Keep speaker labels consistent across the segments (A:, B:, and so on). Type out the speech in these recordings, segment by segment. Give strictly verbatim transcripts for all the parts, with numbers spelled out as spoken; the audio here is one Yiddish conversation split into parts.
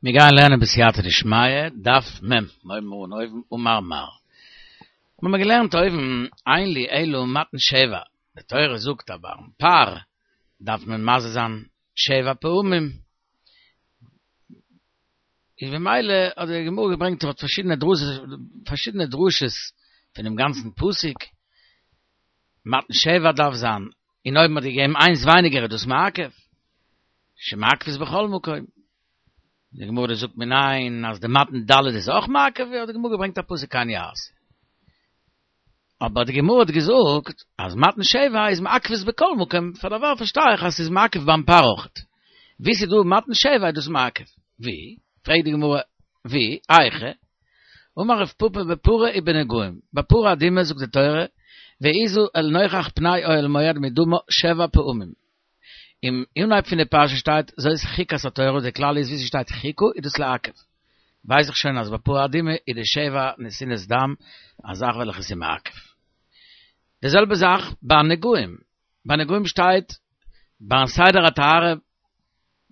A: מיר גייען לערנען בסייעתא דשמיא, דף מ', מיר הייבן אן אויבן אמר מר. מיר האבן געלערנט אויבן, אין לי אלא מתן שבע, די תורה זאגט אז ביים פר דארף מען מזה זיין שבע פעמים, איז במילא האט די גמרא געברענגט דארט פארשידענע דרשות, פארשידענע דרשות פונעם גאנצן פסוק, מתן שבע דארף זיין, און אויב מען האט געגעבן איינס ווייניגער איז דאס מעכב, שמעכבות בכל מקום. די גמרא זאגט מנין אז די מתן ד' איז אויך מעכב, האט די גמרא געברענגט א פסוק כן יעשה. אבער די גמרא האט געזאגט אז מתן שבע איז מעכבות בכל מקום, פאר דערווייל פארשטיי איך אז ס'איז מעכב ביים פר אויכעט. ווי ס'איז דא מתן שבע איז דאס מעכב. ווי? פרעגט די גמרא, ווי? היכא? אמר רב פפא בפרה ובנגעים, ביי פרה אדומה זאגט די תורה, והזה אל נוכח פני אוהל מועד מדמה שבע פעמים. אין אנהייב פון די פרשה שטייט זאת חוקת התורה, די כלל איז ווי ס'שטייט חוקה איז דאס לעכב. ווייס איך שוין אז ביי פרה אדומה איז די שבע נתינות דם א זאך וועלכע איז מעכב. די זעלבע זאך ביי נגעים, ביי נגעים שטייט ביים סדר הטהרה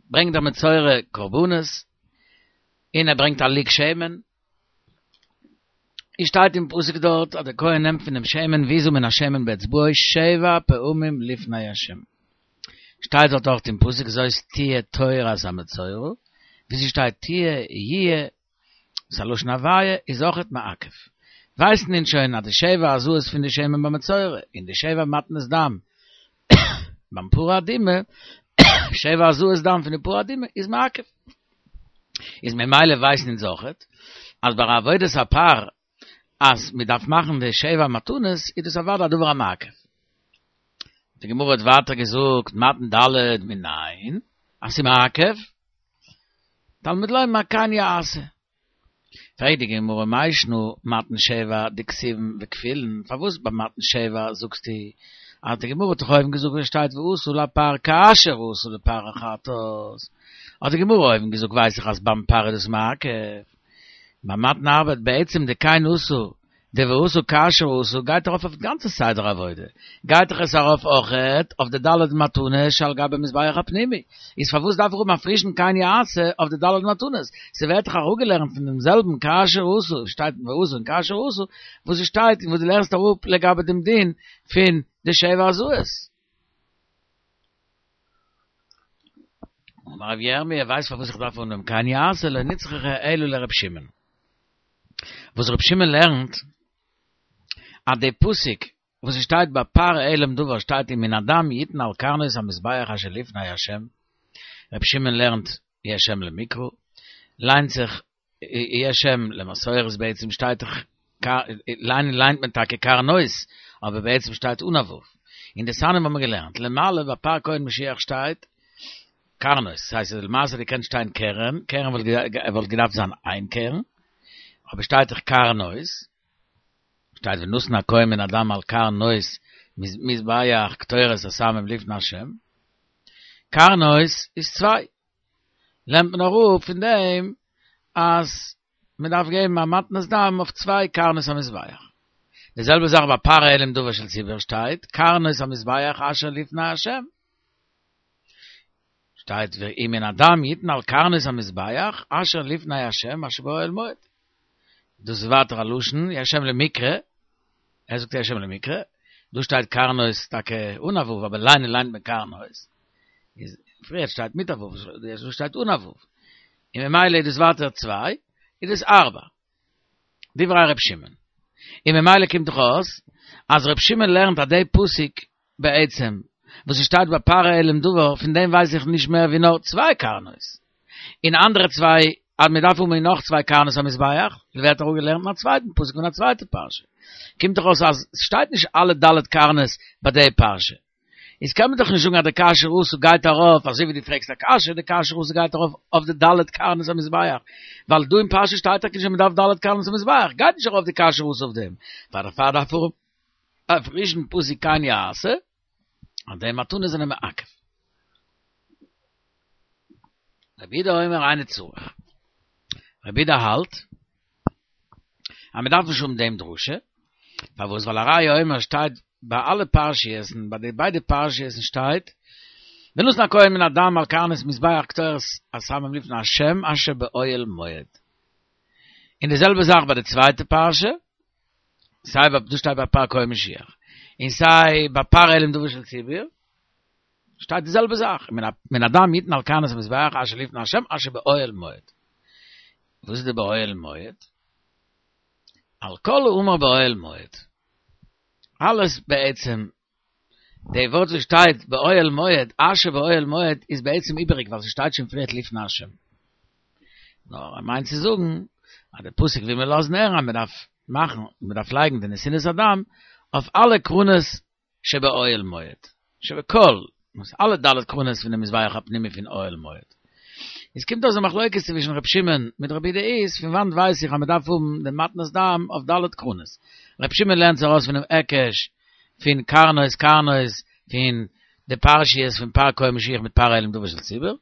A: ברענגט דער מצורע קרבנות און ער ברענגט א לוג שמן, איז שטייט אין פסוק דארט אז דער כהן נעמט פון דעם שמן והזה מן השמן באצבעו שבע פעמים לפני השם. שטייט דארט אויך אין פסוק זאת תהיה תורת המצורע, ווי ס'שטייט תהיה יהיה, ס'א לשון הוויה, איז אויכעט מעכב. ווייסן אונז שוין אז די שבע הזאות פון די שמן ביים מצורע, און די שבע מתנות דם ביים פרה אדומה, שבע הזאת דם פון די פרה אדומה איז מעכב. איז ממילא ווייסן אונז אויכעט אז ביי עבודת הפר אז מען דארף מאכן די שבע מתנות איז דאס אוודאי א דבר המעכב. די גמרא האט ווייטער געזאגט מתן ד' מנין אז ס'איז מעכב, תלמוד לומר כן יעשה. פרעגט די גמרא מאי שנא מתן שבע דכתיבן וכפילן, פארוואס ביי מתן שבע זאגסטו אז די גמרא האט דאך אויבן געזאגט ווי שטייט ועשו לפר כאשר עשו לפר החטאת, האט די גמרא אויבן געזאגט ווייס איך אז ביים פר איז דאס מעכב, ביי מתן ארבע בעצם די כן עשו די ועשו כאשר עשו גייט ארויף אויף די גאנצע סדר עבודה, גייט דאך עס ארויף אויכעט אויף די ד' מתנות שעל גבי מזבח הפנימי, איז פארוואס דארף איך האבן א פרישן כן יעשה אויף די ד' מתנות, ס'ווערט דאך אראפגעלערנט פון דעם זעלבן כאשר עשו, שטייט ועשו און כאשר עשו, וואס עס שטייט און וואס דו לערנסט אראפ לגבי דעם דין פון די שבע הזאת. אמר רבי ירמי', ווייסט פארוואס איך דארף האבן דעם כן יעשה, לא נצרכה אלא לר' שמעון. וואס ר' שמעון לערנט אז די פסוק וואס עס שטייט ביי פר העלם דבר שטייט ומן הדם יתן על קרנות המזבח אשר לפני ה', ר' שמעון לערנט יש אם למקרא, ליינט זיך יש אם למסורת בעצם שטייט דאך ליינען ליינט מען טאקע קרנות אבער בעצם שטייט אן א ו', אין דתניא האבן מיר געלערנט למעלה ביי פר כהן משיח שטייט קרנות, ס'הייסט אז למעשה האט געקענט שטיין קרן, קרן וואלט געדארפט זיין איין קרן, אבער שטייט דאך קרנות, שטייט ונתן הכהן מן הדם על קרנות מזבח קטורת הסמים לפני השם, קרנות איז צוויי, לערנט מען אראפ פון דעם אז מען דארף געבן א מתנת דם אויף צוויי קרנות המזבח. די זעלבע זאך ביי פר העלם דבר של ציבור שטייט קרנות המזבח אשר לפני השם. שטייט ומן הדם יתן על קרנות המזבח אשר לפני השם אשר באוהל מועד. דאס איז ווייטער א לשון יש אם למקרא, ער זאגט יש אם למקרא, דא שטייט קרנות טאקע אן א ו' אבער ליינען ליינט מען קרנות, איז פריער שטייט מיט א ו', דא שטייט אן א ו', און ממילא איז דאס ווייטער צוויי, איז דאס ארבע. דברי ר' שמעון. און ממילא קומט דאך אויס אז ר' שמעון לערנט אז די פסוק בעצם וואס עס שטייט ביי פר העלם דבר פון דעם ווייס איך נישט מער ווי נאר צוויי קרנות, און אנדערע צוויי אז מען דארף האבן נאך צוויי קרנות המזבח, ווערט אראפגעלערנט אין א צווייטן פסוק פון א צווייטע פרשה. קומט דאך אויס אז עס שטייט נישט אלע ד' קרנות ביי די פרשה. איז קען מען דאך נישט זאגן אז די כאשר עשו גייט ארויף, אזוי ווי דו פרעגסט א קשיא, די כאשר עשו גייט ארויף אויף די ד' קרנות המזבח, ווייל דא אין פרשה שטייט טאקע נישט אז מען דארף ד' קרנות המזבח, גייט נישט ארויף די כאשר עשו אויף דעם, פאר דערפאר דארף ער א פרישן פסוק כן יעשה, אז די מתנות זענען מעכב. רבי יהודה אומר אינו צריך. רבי יהודה האלט אז מען דארף נישט האבן דעם דרשה, פארוואס? ווייל הרי הוא אומר שטייט ביי אלע פרשיות'ן, ביי די ביידע פרשיות'ן שטייט ונתן הכהן מן הדם על קרנות מזבח קטורת הסמים לפני השם אשר באוהל מועד. אין די זעלבע זאך ביי די צווייטע פרשה, סיי ביי דא שטייט ביי פר כהן משיח, און סיי ביי פר העלם דבר של ציבור, שטייט די זעלבע זאך, מן מן הדם יתן על קרנות המזבח אשר לפני השם אשר באוהל מועד. וואס איז די באוהל מועד? על כל האמור באוהל מועד. אלעס בעצם, די ווארט וואס שטייט באוהל מועד, אשר באוהל מועד, איז בעצם איבעריג, ווייל ס'שטייט שוין פריער לפני השם. נאר ער מיינט צו זאגן, אז דער פסוק וויל מיר לאזן הערן, אז מען דארף מאכן, מען דארף לייגן די נתינת הדם אויף אלע קרנות שבאוהל מועד. שבכל, אלע ד' קרנות פון דעם מזבח הפנימי פון אוהל מועד. עס קומט אויס א מחלוקת צווישן ר' שמעון מיט רבי יהודה איז, פון וואנט ווייס איך אז מען דארף האבן דעם מתנת דם אויף ד' קרנות. ר' שמעון לערנט זיך ארויס פונעם היקש פון קרנות קרנות פון די פרשיות פון פר כהן משיח מיט פר העלם דבר של ציבור,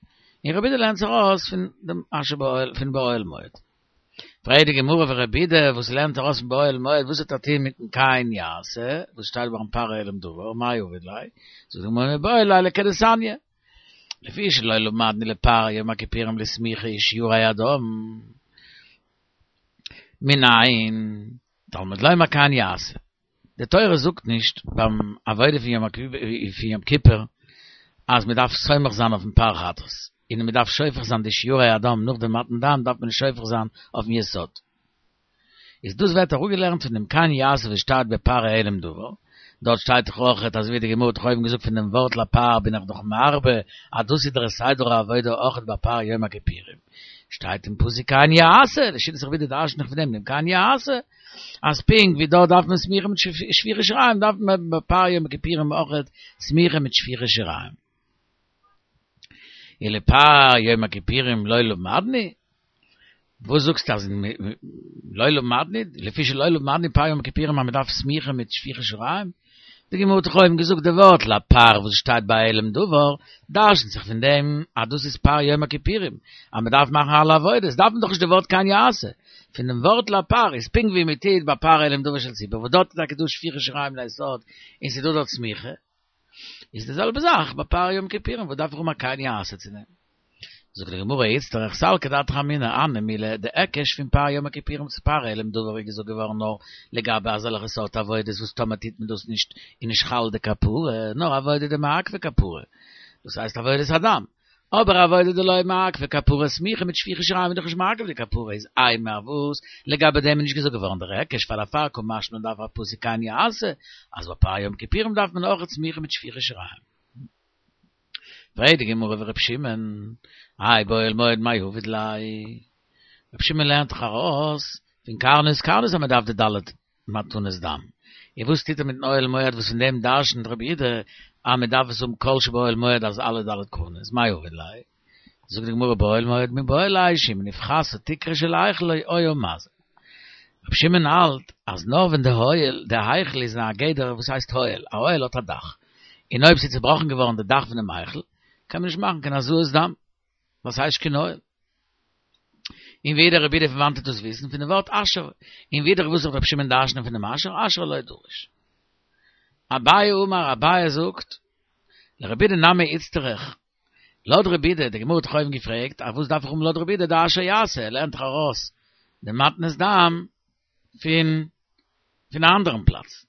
A: און רבי יהודה לערנט זיך ארויס פון דעם אשר באוהל פון באוהל מועד. פרעגט די גמרא ורבי יהודה וואס לערנט ארויס פון באוהל מועד וואס האט ער טון מיטן כן יעשה וואס שטייט ביים פר העלם דבר מאי עביד ליה זאגט די גמרא מיבעי ליה לכדתניא לפי שלא למדנו לפר יום הכיפורים לסמיכה ושיורי הדם מנין תלמוד לומר כן יעשה די תורה זאגט נישט ביים עבודה פון יום פון יום כיפור אז מען דארף סומך זיין אויפן פר חטאת און מען דארף שופך זיין די שיורי הדם נאך דעם מתן דם דארף מען שופך זיין אויפן יסוד. איז דאס ווערט אראפגעלערנט פון דעם כן יעשה וואס שטייט בפר העלם דבר, דארט שטייט דאך אויכעט אזוי ווי די גמרא האט דאך אויבן געזאגט פון דעם ווארט לפר בין איך דאך מרבה אז דאס איז דער סדר העבודה אויכעט ביי פר יום הכיפורים, שטייט אין פסוק כן יעשה, לשיטת רבי יהודה דרש'נט איך פון דעם דעם כן יעשה, אז פונקט ווי דארט דארף מען סמיכה מיט שפיכת שיריים דארף מען ביי פר יום הכיפורים אויכעט סמיכה מיט שפיכת שיריים. ולפר יום הכיפורים לא למדנו? וואס זאגסטו אז לא למדנו? לפי שלא למדנו פר יום הכיפורים אז מען דארף סמיכה מיט שפיכת שיריים? די גמרא האט דאך אויבן געזאגט די ווארט לפר וואס שטייט ביי העלם דבר, דרש'נט זיך פון דעם אז דאס איז פר יום הכיפורים, אז מען דארף מאכן אלע עבודות, דארף מען דאך נישט די ווארט כן יעשה. פון דעם ווארט לפר איז פונקט ווי מען טוט ביי פר העלם דבר של ציבור, וואס דארט איז טאקע דא שפיכת שיריים ליסוד און ס'איז דא דארט סמיכה, איז די זעלבע זאך ביי פר יום כיפורים, וואס דארף איך האבן א כן יעשה צו דעם? זאגט די גמרא איצטריך סלקא דעתך אמינא הני מילי די היקש פון פר יום הכיפורים צו פר העלם דבר איז געזאגט געווארן נאר לגבי אזעלכע סארט עבודות וואס טאמער טוט מען דאס נישט איז נישט חל די כפרה נאר עבודה דמעכבא כפרה דאס הייסט עבודת הדם אבער עבודה דלא מעכבא כפרה סמיכה מיט שפיכת שיריים איז דאך נישט מעכב די כפרה איז אימא וואס לגבי דעם איז נישט געזאגט געווארן דער היקש פאר דערפאר קא משמע לן דארף א פסוק כן יעשה אז ביי פר יום כיפורים דארף מען אויך סמיכה מיט שפיכת שיריים. פרעגט די גמרא ור' שמעון, האי באוהל מועד מאי עביד ליה? ר' שמעון לערנט דאך ארויס פון קרנות קרנות אז מען דארף די ד' מתנות דם, און וואס טוט ער מיטן אוהל מועד וואס פון דעם דרשנ'ט רבי יהודה אז מען דארף עס האבן כל שבאוהל מועד אז אלע ד' קרנות, מאי עביד ליה? זאגט די גמרא באוהל מועד מיבעי ליה שאם נפחתה תקרה של היכל היה מזה. רבי שמעון האלט אז נאר ווען די אוהל, די היכל איז אין א גדר וואס הייסט אוהל, א אוהל האט א דאך, און אויב ס'איז צובראכן געווארן די דאך פונעם היכל, קען מען נישט מאכן קיין הזאת דם, ווייל ס'הייסט קיין אוהל. און ווידער רבי יהודה פון וואנעט טוט דאס וויסן? פון די ווארט אשר. און ווידער וואס זאגט רבי שמעון דרש'נען פון דעם אשר? אשר לא דריש. אביי אמר, אביי זאגט, לרבי יהודה נמי איצטריך, לויט רבי יהודה, די גמרא האט דאך אויבן געפרעגט, אז וואס דארף איך האבן לויט רבי יהודה די אשר יעשה, ער לערנט דאך ארויס די מתנת דם פון פון א אנדערן פלאץ.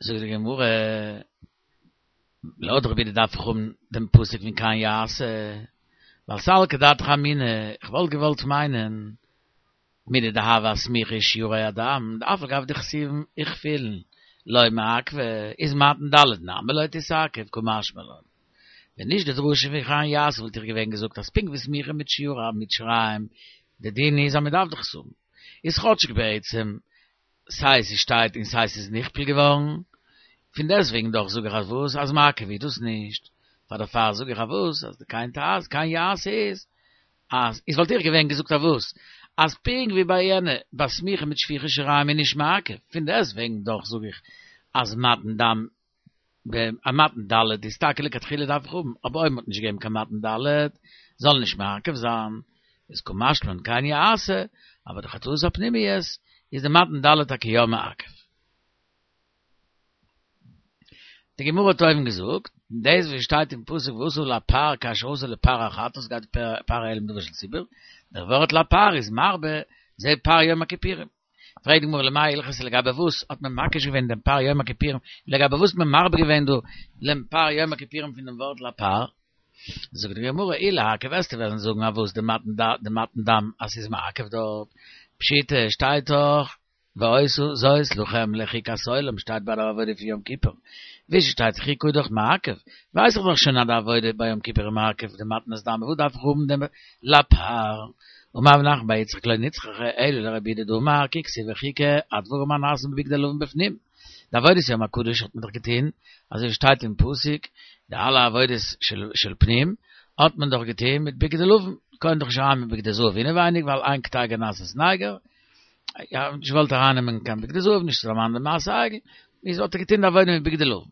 A: זאגט די גמרא, לויט רבי יהודה דארף איך האבן דעם פסוק פון כן יעשה, ווייל סלקא דעתך אמינא, איך וואלט געוואלט מיינען, מידי דהוה אסמיכה ושיורי הדם, דאף על גב דכתיבן וכפילין לא מעכבא, איז מתן ד' נמי לא תתעכב, קא משמע לן. ווען נישט די דרשה פון כן יעשה וואלט איך געווען געזאגט אז פונקט ווי סמיכה מיט שיורי מיט שיריים, די דין איז אז מען דארף דאך עס האבן, איז כאטשיג בעצם סיי ס'שטייט און סיי ס'איז נכפל געווארן, פון דעסטוועגן דאך זאג איך אז וואס אז מעכב איז דאס נישט, פאר דערפאר זאג איך אז וואס אז די כן תעשה כן יעשה איז אז איז וואלט איך געווען געזאגט אז וואס אז פונקט ווי ביי יענע ביי סמיכה מיט שפיכת שיריים איז נישט מעכב, פון דעסטוועגן דאך זאג איך אז מתן דם א מתן ד' איז טאקע לכתחילה דארף איך האבן, אבער אויב מ'האט נישט געגעבן קיין מתן ד' זאל נישט מעכב זיין, איז קא משמע לן כן יעשה, אבער די חטאות הפנימיות איז די מתן ד' טאקע יא מעכב. די גמרא האט אויבן געזאגט, דאס וואס שטייט אין פסוק ועשו לפר כאשר עשו לפר החטאת גייט פר העלם דבר של ציבור, דער ווארט לפר איז מרבה זה פר יום הכיפורים. פרעגט די גמרא למאי הלכתא לגבי וואס האט מען מקיש געווען דעם פר יום הכיפורים, לגבי וואס האט מען מרבה געווען דא דעם פר יום הכיפורים פון דעם ווארט לפר? זאגט די גמרא אי לעכב וועסטו וועלן זאגן אז וואס די מתן דם אז ס'איז מעכב דארט, פשיטא שטייט דאך והיתה זאת לכם לחוקת עולם שטייט ביי די עבודה פון יום כיפור, ווי ס'שטייט חוקה איז דאך מעכב, ווייס איך דאך שוין אז די עבודה ביי יום כיפור איז מעכב די מתנות דם, וואס דארף איך האבן דעם לפר? אמר רב נחמן בר יצחק לא נצרכה אלא לרבי יהודה דאמר כי כתיב חוקה הדברים הנעשים בבגדי לבן בפנים, די עבודת יום הקדוש האט מען דאך געטוהן אזוי ווי שטייט אין פסוק, די אלע עבודות של פנים האט מען דאך געטוהן מיט בגדי לבן, קען דאך נישט אריין מיט בגדי זהב אינעווייניג ווייל אין קטיגור נעשה סניגור, יא, נישט געוואלט ארייננעמען קיין בגדי זהב נישט צו דערמאנען די מעשה העגל, איז האט ער געטון די עבודה מיט בגדי לבן.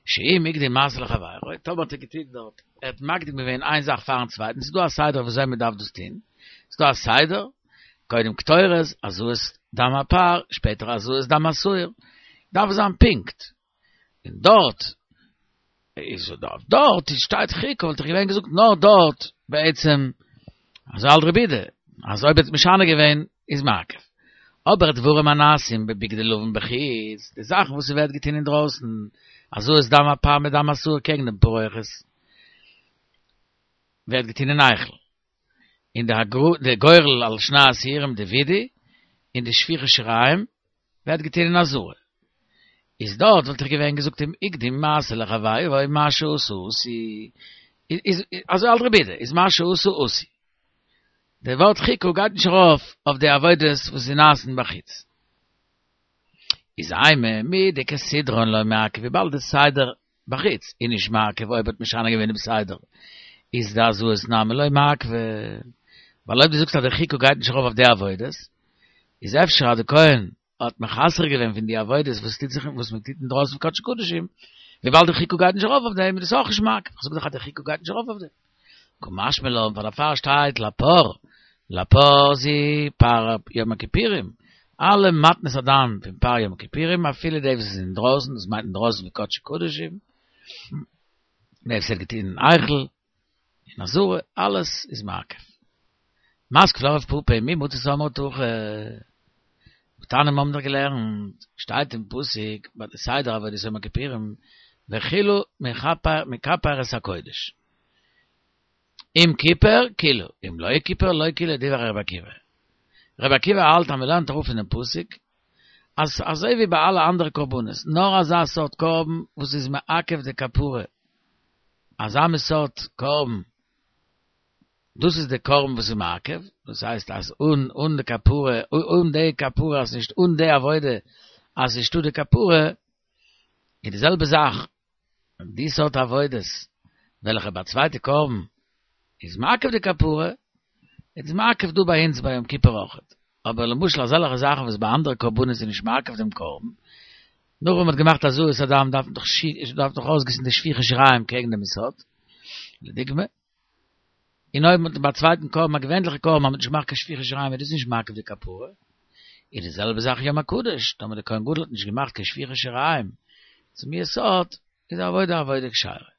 A: שאם הקדים מעשה לחבירו, טאמער האט ער געטון דארט, ער האט מקדים געווען איין זאך פארן צווייטן, ס'איז דא א סדר וויאזוי מען דארף דאס טון, ס'איז דא א סדר, קודם קטורת, הזאת דם הפר, שפעטער הזאת דם השעיר, דארף זיין פונקט, און דארט איז דארט דארט איז שטייט חוקה וואלט איך געווען געזאגט נאר דארט בעצם אזוי האלט רבי יהודה אז אויב האט משנה געווען איז מעכב אבער דברים הנעשים בבגדי לבן בחוץ די זאכן וואס ס'ווערט געטון אינדרויסן הזאת דם הפר מיט דם השעיר קעגן דעם פרוכת ווערט געטון אין היכל און די גורל על שני השעירים די וידוי און די שפיכת שיריים ווערט געטון אין עזרה. איז דארט וואלט איך געווען געזאגט אם הקדים מעשה לחבירו מה שעשה עשוי איז אזוי האלט רבי יהודה איז מה שעשה עשוי. די ווארט חוקה גייט נישט ארויף אויף די עבודות וואס איז נעשין בחוץ. איז אימא מדכסדרן לא מעכב וויבאלד די סדר בחוץ איז נישט מעכב אויב האט משנה געווען דעם סדר איז די הזאת נמי לא מעכבא ווייל אויב דו זאגסט אז די חוקה גייט נישט ארויף אויף די עבודות איז אפשר אז די כהן האט מחסר געווען פון די עבודות וואס טוט זיך וואס מען טוט אינדרויסן פון קדשי קדשים וויבאלד די חוקה גייט נישט ארויף אויף דעם איז דאס אויך נישט מעכב איך זאג דאך אז די חוקה גייט נישט ארויף אויף דעם קא משמע לן פאר דערפאר שטייט לפר לפר זו פר יום הכיפורים אלע מתנות הדם פון פר יום הכיפורים אפילו די וואס איז אינדרויסן דאס מיינט אינדרויסן פון קדשי קדשים די וואס ווערט געטון אין היכל אין עזרה אלעס איז מעכב מתקיף לה רב פפא מי מצית אמרת הכי והתניא מ'האבן דאך געלערנט שטייט אין פסוק ביי די סדר עבודת יום הכיפורים וכילו מכפר את הקודש אם כיפר כילו אם לא כיפר לא כילו דברי רבי עקיבא רבי עקיבא האלט אז מ'לערנט אראפ פונעם פסוק אז אזוי ווי ביי אלע אנדערע קרבנות נאר אזא סארט קרבן וואס איז מעכב די כפרה אזא מין סארט קרבן דאס איז די קרבן וואס איז מעכב, דאס הייסט אז אן אן די כפרה, אן די כפרה אז נישט אן די עבודה אז נישטא די כפרה, איז די זעלבע זאך די סארט עבודות וועלכע ביי צווייטע קרבן איז מעכב די כפרה, איז מעכב דא ביי אונז ביי יום כיפור אויכעט, אבער למשל אזעלכע זאכן וואס ביי אנדערע קרבנות איז נישט מעכב דעם קרבן, נאך ווען מ'האט געמאכט הזאת הדם דארף מען דאך דארף דאך אויסגיסן די שפיכת שיריים קעגן דעם יסוד, לדוגמא. און אויב מ'האט ביי א צווייטן קרבן, א געווענליכע קרבן, האט מען נישט געמאכט קיין שפיכת שיריים איז דאס נישט מעכב די כפרה. איז די זעלבע זאך יום הקדוש, טאמער דער כהן גדול האט נישט געמאכט קיין שפיכת שיריים צום יסוד, איז די עבודה א עבודה כשרה.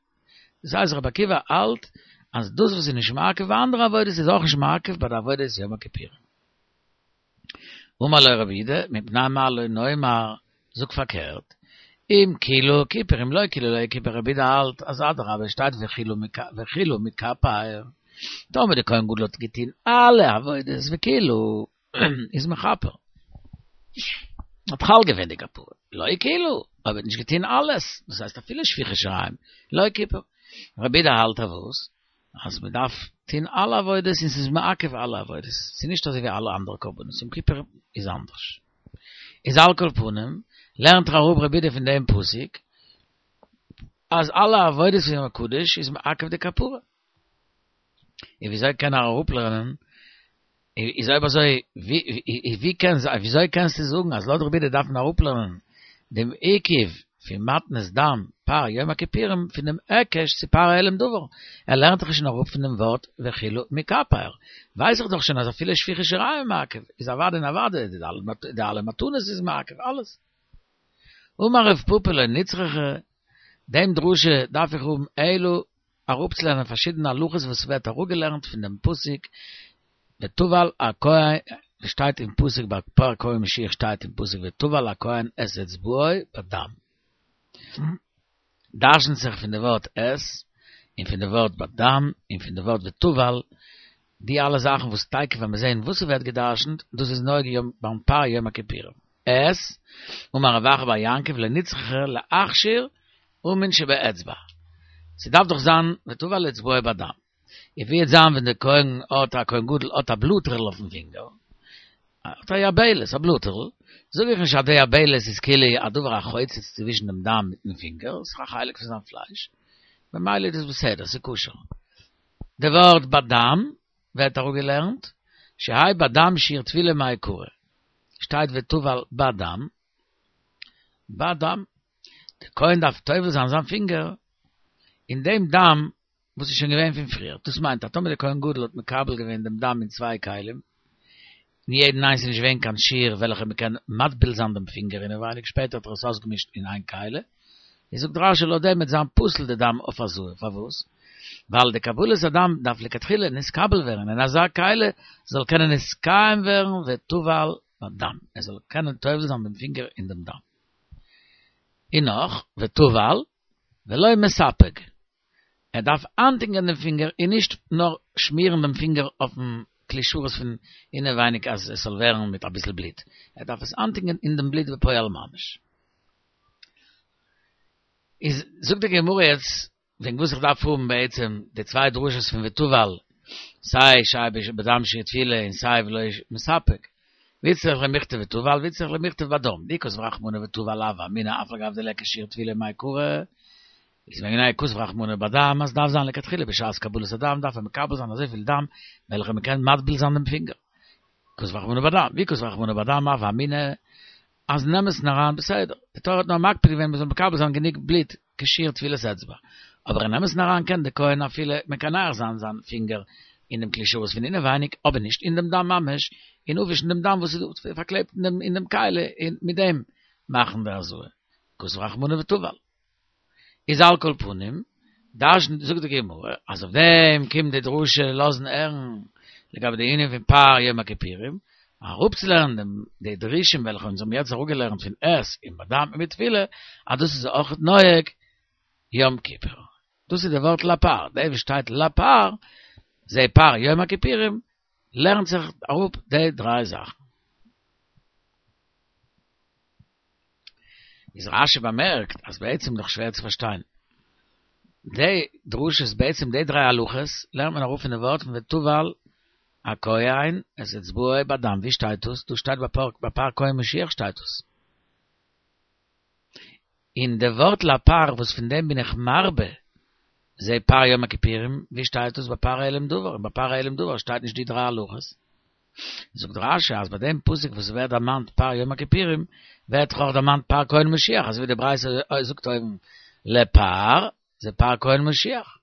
A: דאס הייסט רבי עקיבא האלט אז דאס וואס איז נישט מעכב ביי אנדערע עבודות איז אויך נישט מעכב ביי די עבודת יום הכיפורים. אמר לו רבי יהודה, מפני מה לא נאמר, זאג פארקערט, אם כילו כיפר אם לא כילו לא כיפר רבי יהודה האלט אז אדרבה שטייט וכילו מכפר, טאמער די כהן גדול האט געטוהן אלע עבודות וכילו איז מכפר, האט חל געווען די כפרה, לא כילו, אויב האט נישט געטוהן אלעס, דאס הייסט אפילו שפיכת שיריים, לא כיפר, רבי יהודה האלט אז וואס? אז מען דארף טוהן אלע עבודות און ס'איז מעכב אלע עבודות, ס'איז נישט אזוי ווי אלע אנדערע קרבנות, יום כיפור איז אנדערש. איז על כל פנים, לערנט ער אראפ רבי יהודה פון דעם פסוק, אז אלע עבודות פון יום הקדוש איז מעכב די כפרה. און וויאזוי קען ער אראפלערנען, איז אויב אזוי, ווי קען זיין, וויאזוי קענסטו זאגן אז לויט רבי יהודה דארף מען אראפלערנען דעם עיכוב פון מתנות דם פר יום הכיפורים פון דעם היקש צו פר העלם דבר, ער לערנט דאך שוין אראפ פון דעם ווארט וכילו מכפר, ווייס איך דאך שוין אז אפילו שפיכת שיריים מעכב, איז אוודאי און אוודאי די אלע מתנות איז מעכב, אלעס. אמר רב פפא לא נצרכה, דעם דרושה דארף איך האבן אלו אראפצולערנען פארשידענע הלכות וואס ווערט אראפגעלערנט פון דעם פסוק וטבל הכהן, שטייט אין פסוק ביי פר כהן משיח שטייט אין פסוק וטבל הכהן את אצבעו בדם. דרשנט זיך פון די ווארט את, און פון די ווארט בדם, און פון די ווארט וטבל, די אלע זאכן וואס תיכף ווען מיר זעהן וואס ס'ווערט געדרשנט, דאס איז נוגע יום ביים פר יום הכיפורים. את, אמר רב אחא בר יעקב לא נצרכה להכשיר אומין שבאצבע. ס'דארף דאך זיין וטבל אצבעו בדם. און ווי וועט זיין ווען דער כהן האט א כהן גדול האט א בלוטערל אויפן פינגער, האט א יבלת, א בלוטערל, זאג איך נישט אז די יבלת איז כאילו א דבר החוצץ צווישן דעם דם מיטן פינגער, ס'איז א חלק פון זיין פלייש, ממילא איז דאס בסדר, ס'איז כשר. די ווארט בדם ווערט אראפגעלערנט, שהאי בדם שיעור טבילה מעיקרא, שטייט וטבל בדם, בדם, דער כהן דארף טובל זיין זיין פינגער אין דעם דם וואס איז שוין געווען פון פריער, דאס מיינט אז טאמער דער כהן גדול האט מקבל געווען דעם דם אין צוויי כלים, אין יעדן איינס איז נישט געווען קיין שיעור וועלכע מען קען מטביל זיין דעם פינגער אינעווייניג, שפעטער האט ער עס אויסגעמישט אין איין כלי, איז זאגט רשי לויט דעם וועט זיין פסול די דם אויף הזאה, פארוואס? ווייל די קבלת הדם דארף לכתחילה נתקבל ווערן אין אזא כלי זאל קענען נתקיים ווערן וטבל בדם, ער זאל קענען טובל זיין דעם פינגער אין דעם דם. און נאך, וטבל ולא מספג, ער דארף איינטונקען דעם פינגער און נישט נאר שמירן דעם פינגער אויפן כלי שרת פון אינעווייניג אז עס זאל ווערן מיט אביסל בלוט, ער דארף עס איינטונקען אין דעם בלוט בפועל ממש. איז זאגט די גמרא יעצט וועגן וואס איך דארף האבן בעצם די צוויי דרשות פון וטבל, סיי שהאי בדם שיעור טבילה און סיי ולא מספג, ואיצטריך למיכתב וטבל ואיצטריך למיכתב בדם, דאי כתב רחמנא וטבל הוה אמינא אף על גב דליכא שיעור טבילה מעיקרא, איז מפני כתב רחמנא בדם אז דארף זיין לכתחילה בשעת קבלת הדם דארף ער מקבל זיין אזויפיל דם וועלכע מען קען מטביל זיין דעם פינגער. כתב רחמנא בדם, ואי כתב רחמנא בדם הוה אמינא אז אין אמת'ן אריין בסדר, די תורה האט נאר מקפיד געווען מען זאל מקבל זיין גענוג בלוט כשיעור טבילת אצבע, אבער אין אמת'ן אריין קען די כהן אפילו מקנח זיין זיין פינגער אין דעם כלי שרת פון אינעווייניג אבער נישט אין דעם דם ממש, און אפווישן דעם דם וואס איז פארקלעבט אין דעם כלי און מיט דעם מאכן די הזאה. כתב רחמנא וטבל. איז על כל פנים, דרש'נט זאגט די גמרא אז אויף דעם קומט די דרשה לאזן הערן לגבי די ענין פון פר יום הכיפורים, אראפצולערנען דעם די דרושים וועלכע אונז האבן יעצט אראפגעלערנט פון את און בדם און מיט טבילה, אז דאס איז אויך נוהג יום כיפור. דאס איז די ווארט לפר, דער וואס שטייט לפר, זה פר יום הכיפורים, לערנט זיך אראפ די דריי זאכן. איז רשי באמערקט אז בעצם דאך שווער צו פארשטיין. די דרשות בעצם די דריי הלכות לערנט מען אראפ פון די ווארט פון וטבל הכהן את אצבעו בדם, ווי שטייט דאס? דאס שטייט ביי פר כהן משיח שטייט דאס. און די ווארט לפר וואס פון דעם בין איך מרבה זה פר יום הכיפורים, ווי שטייט דאס ביי פר העלם דבר? און ביי פר העלם דבר שטייט נישט די דריי הלכות. זאגט רשי אז ביי דעם פסוק וואס ווערט דערמאנט פר יום הכיפורים, ווערט דאך אויך דערמאנט פר כהן משיח, אזוי ווי די ברייתא זאגט אויבן לפר, זה פר כהן משיח.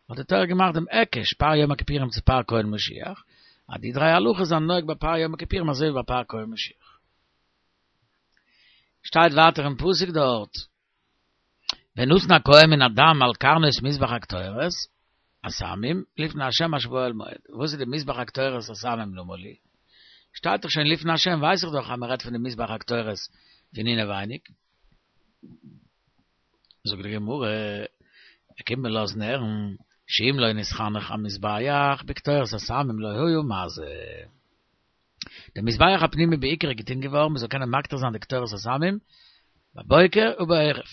A: האט די תורה געמאכט דעם היקש פר יום הכיפורים צו פר כהן משיח, אז די דריי הלכות זענען נוהג ביי פר יום הכיפורים אזוי ווי ביי פר כהן משיח. שטייט ווייטער אין פסוק דארט, ונתן הכהן מן הדם על קרנות מזבח הקטורת, הסמים, לפני השם אשר באהל מועד. וואס איז די מזבח הקטורת הסמים למה לי? שטייט דאך שוין לפני השם, ווייס איך דאך אז מען רעדט פון די מזבח הקטורת פון אינעווייניג. זאגט די גמרא, ער קומט מיר לאזן הערן, שאם לא נתחנך המזבח בקטורת הסמים לא היה מזה. דער מזבח הפנימי בעיקר איז געטון געווארן מען זאל קענען מקטיר זיין די קטורת הסמים בבוקר ובערב,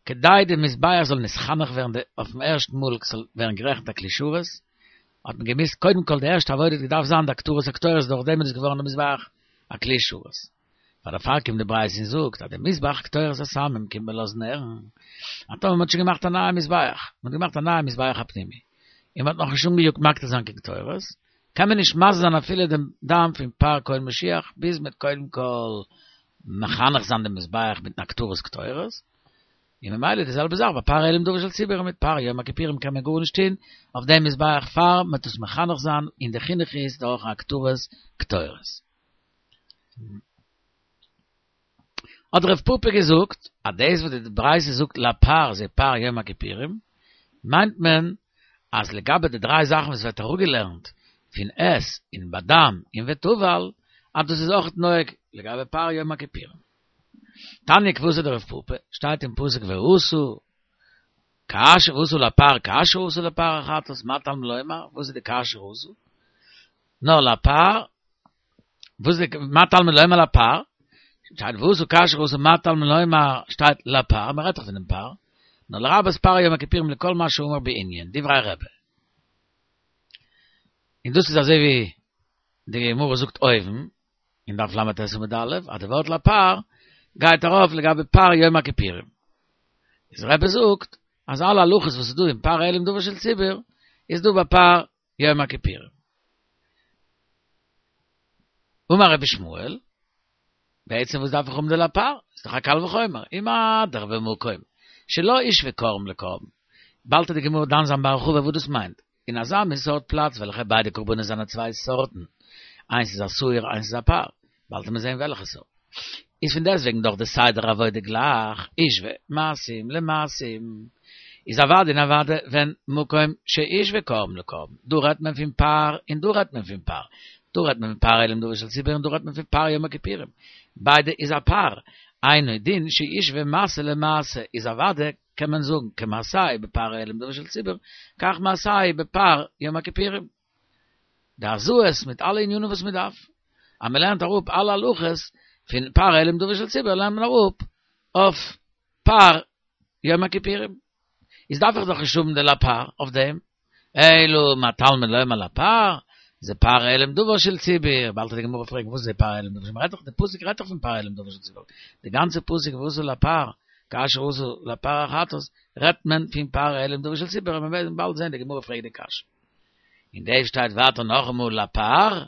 A: כדי די מזבח זאל נתחנך ווערן אויפן ערשטן מאל ס'זאל ווערן גערעכנט א כלי שרת, האט מען געמוזט קודם כל די ערשטע עבודה האט געדארפט זיין די הקטרת הקטורת דורך דעם איז געווארן די מזבח א כלי שרת. פאר דערפאר קומט די ברייתא און זאגט אז די מזבח קטורת הסמים קומט מען לאזן הערן אז טאמער מען האט שוין געמאכט א נייע מזבח, מען האט געמאכט א נייע מזבח הפנימי, און מען האט נאכנישט אנגעיאגט מקטיר זיין קיין קטורת, קען מען נישט מזה זיין אפילו דעם דם פון פר כהן משיח ביז מ'וועט קודם כל מחנך זיין דעם מזבח מיטן הקטרת קטורת, און ממילא די זעלבע זאך ביי פר העלם דבר של ציבור מיט פר יום הכיפורים קען מען גארנישט טון אויף דעם מזבח פאר מ'וועט עס מחנך זיין און די חינוך איז דורך הקטרת קטורת. האט רב פפא געזאגט, אז דאס וואס די ברייתא זאגט לפר זה פר יום הכיפורים, מיינט מען אז לגבי די דריי זאכן וואס ווערט אראפגעלערנט פון את און בדם און וטבל, אז דאס איז אויך נוהג לגבי פר יום הכיפורים. תניא כוותיה דרב פפא, שטייט אין פסוק ועשו, כאשר עשו לפר, כאשר עשו לפר החטאת, מה תלמוד לומר? וואס איז די כאשר עשו? נאר לפר, וואס איז מה תלמוד לומר לפר? שטייט ועשו כאשר עשו, מה תלמוד לומר? שטייט לפר, מען רעדט דאך פון דעם פר. נאר לרבות פר יום הכיפורים לכל מה שאמור בענין, דברי רבי. און דאס איז אזוי ווי די גמרא זאגט אויבן, אין דף ל"ט עמוד א', אז די ווארט לפר גייט ארויף לגבי פר יום הכיפורים. איז רבי זאגט, אז אלע הלכות וואס איז דא אין פר העלם דבר של ציבור, איז דא ביי פר יום הכיפורים. אמר רבי ישמעאל, בעצם וואס דארף איך האבן די לפר? איז דאך א קל וחומר. ומה דאך במקום שלא הושוו קרבן לקרבן. באלד וועט די גמרא דן זיין בהרחבה וואס דאס מיינט. אין אזא מין סארט פלאץ וועלכע ביידע קרבנות זענען צוויי סארטן, איינס איז א שעיר איינס איז א פר, באלד וועט מען זען וועלכע סארט. איז פון דעסטוועגן דאך די סדר עבודה גלייך, הושוו מעשים למעשים. איז אוודאי און אוודאי ווען מקום שהושוו קרבן לקרבן. דא רעדט מען פון פר און דא רעדט מען פון פר. דא רעדט מען פון פר העלם דבר של ציבור און דא רעדט מען פון פר יום הכיפורים. ביידע איז א פר. אינו דין שישוו מעשה למעשה איז אוודאי קען מען זאגן כמעשהו בפר העלם דבר של ציבור, כך מעשהו בפר יום הכיפורים. די הזאת מיט אלע ענינים וואס מען דארף. אז מען לערנט אראפ אלע הלכות פון פר העלם דבר של ציבור לערנט מען אראפ אויף פר יום הכיפורים. איז דארף איך דאך נישט האבן די לפר אויף דעם. אלא מה תלמוד לומר לפר, זה פר העלם דבר של ציבור, באלד וועט די גמרא פרעגן וואס איז פר העלם דבר של מ'רעדט דאך די פסוק רעדט דאך פון פר העלם דבר של ציבור, די גאנצע פסוק ועשו לפר, כאשר עשו לפר החטאת, רעדט מען פון פר העלם דבר של ציבור, און מיר וועלן באלד זען די גמרא פרעגט די קשיא. און דא שטייט ווייטער נאכאמאל לפר,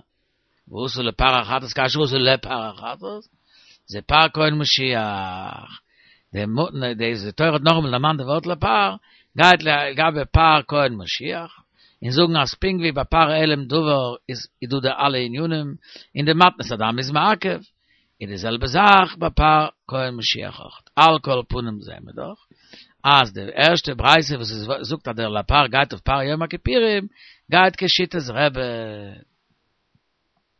A: ועשו לפר החטאת כאשר עשו לפר החטאת, זה פר כהן משיח. די די תורה האט נאכאמאל דערמאנט די ווארט לפר, גייט לגבי פר כהן משיח, און זאגן אז פונקט ווי ביי פר העלם דבר איז דא די אלע ענינים, און די מתנת הדם איז מעכב, איז די זעלבע זאך ביי פר כהן משיח אויך. על כל פנים זעהן מיר דאך אז די ערשטע ברייתא וואס עס זאגט אז דער לפר גייט אויף פר יום הכיפורים, גייט כשיטת רבי.